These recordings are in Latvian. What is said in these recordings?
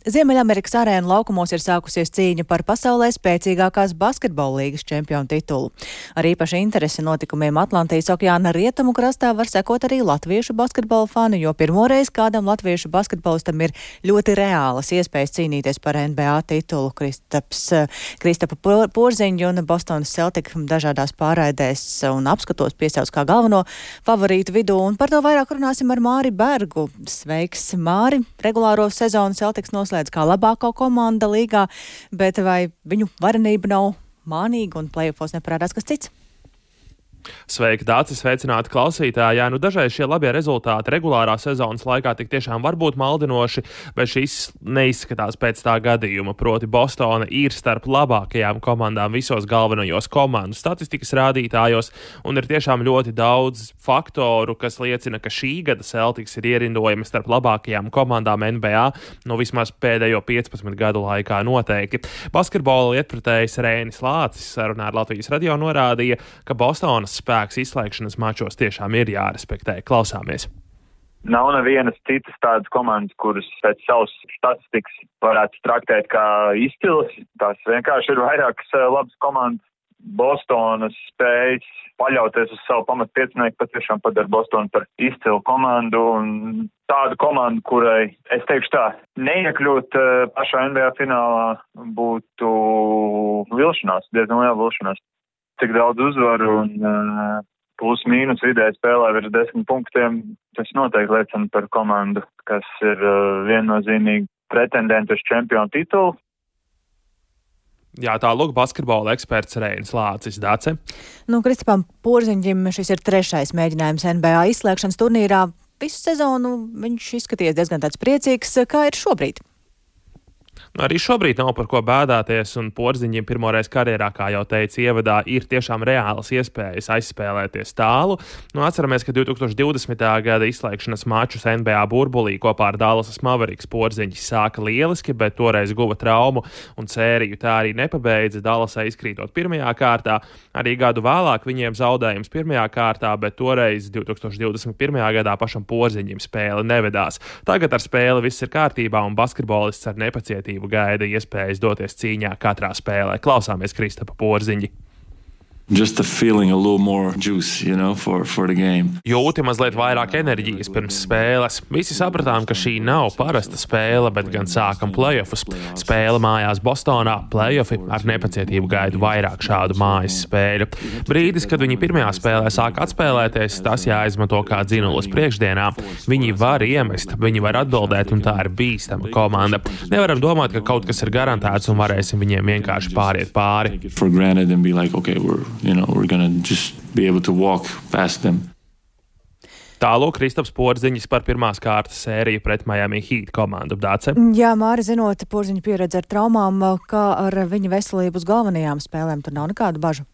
Ziemeļamerikas arēnu laukumos ir sākusies cīņa par pasaulē spēcīgākās basketbola līgas čempionu titulu. Ar īpaši interesi notikumiem Atlantijas okeāna rietumu krastā var sekot arī latviešu basketbola fani, jo pirmoreiz kādam latviešu basketbolistam ir ļoti reālas iespējas cīnīties par NBA titulu. Kristapa Porziņu un Bostonas Celtic dažādās pārraidēs un apskatos piesauc kā galveno favorītu vidū, un par to vairāk runāsim ar Māri Bergu. Sveiks, Māri! Regulāro sezonu Celtics noslēdz kā labāko komanda līgā, bet vai viņu varenība nav mānīga un play-offos neparādās kas cits? Sveiki, Dācis, sveicināti klausītāji. Jā, dažreiz šie labie rezultāti regulārā sezonas laikā tik tiešām var būt maldinoši, bet šis neizskatās pēc tā gadījuma. Proti Bostona ir starp labākajām komandām visos galvenajos komandu statistikas rādītājos, un ir tiešām ļoti daudz faktoru, kas liecina, ka šī gada Celtics ir ierindojami starp labākajām komandām NBA, vismaz pēdējo 15 gadu laikā noteikti. Basketbola lietpratējs Rēnis Lācis sarunā ar Latvijas radio norādīja, ka Bostonas spēks izslēgšanas mačos tiešām ir jārespektē. Klausāmies. Nav nevienas citas tādas komandas, kuras pēc savas statistikas varētu traktēt kā izcils. Tās vienkārši ir vairākas labas komandas. Bostonas spējas paļauties uz savu pamatpiecinieku patiešām padara Bostonu par izcilu komandu un tādu komandu, kurai, es teikšu tā, neiekļūt pašā NBA finālā būtu vilšanās, diezgan liela vilšanās. Cik daudz uzvaru un plus mīnus vidēji spēlē virs 10 punktiem, tas noteikti liecina par komandu, kas ir viennozīmīgi pretendenti uz čempionu titulu. Jā, tā lūk basketbola eksperts Rēnis Lācis. Dace. Kristapam Porziņģim šis ir 3. mēģinājums NBA izslēgšanas turnīrā. Visu sezonu viņš izskaties diezgan tāds priecīgs. Kā ir šobrīd? Arī šobrīd nav par ko bēdāties, un Porziņģim pirmoreiz karjerā, kā jau teica ievadā, ir tiešām reālas iespējas aizspēlēties tālu. Atceramies, ka 2020. gada izslēgšanas mačus NBA burbulī kopā ar Dallasas Mavericks Porziņģis sāka lieliski, bet toreiz guva traumu un sēriju tā arī nepabeidza, Dallasai izkrītot pirmajā kārtā. Arī gadu vēlāk viņiem zaudējums pirmajā kārtā, bet toreiz 2021. gadā pašam Porziņģim spēle nevedās. Tagad ar spēli viss ir kārtībā, un basketbolists ar nepacietību gaida iespējas doties cīņā katrā spēlē. Klausāmies Kristapa Porziņģi. Just a feeling a little more juice, for the game. Jūti mazliet vairāk enerģijas pirms spēles. Visi sapratām, ka šī nav parasta spēle, bet gan sākam playoffus. Spēle mājās Bostonā, playoffi ar nepacietību gaidu vairāk šādu mājas spēļu. Brīdis, kad viņi pirmajā spēlē sāk atspēlēties, tas jāizmanto kā dzinulis priekšdienā. Viņi var iemest, viņi var atbildēt, un tā ir bīstama komanda. Nevaram domāt, ka kaut kas ir garantēts un varēsim viņiem vienkārši pāriet pāri. We're gonna just be able to walk past them. Tālūk Kristaps Porziņģis par pirmās kārtas sēriju pret Miami Heat komandu. Dāce. Jā, Māri, zinot Porziņģa pieredzi ar traumām, kā ar viņa veselību uz galvenajām spēlēm, tur nav nekādu bažu?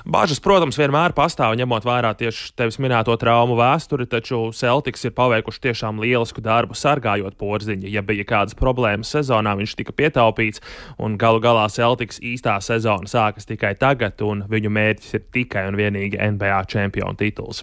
Bažas, protams, vienmēr pastāv, ņemot vērā tieši tevis minēto traumu vēsturi, taču Celtics ir paveikuši tiešām lielisku darbu sargājot Porziņu. Ja bija kādas problēmas sezonā, viņš tika pietaupīts, un galu galā Celtics īstā sezona sākas tikai tagad, un viņu mērķis ir tikai un vienīgi NBA čempionu tituls.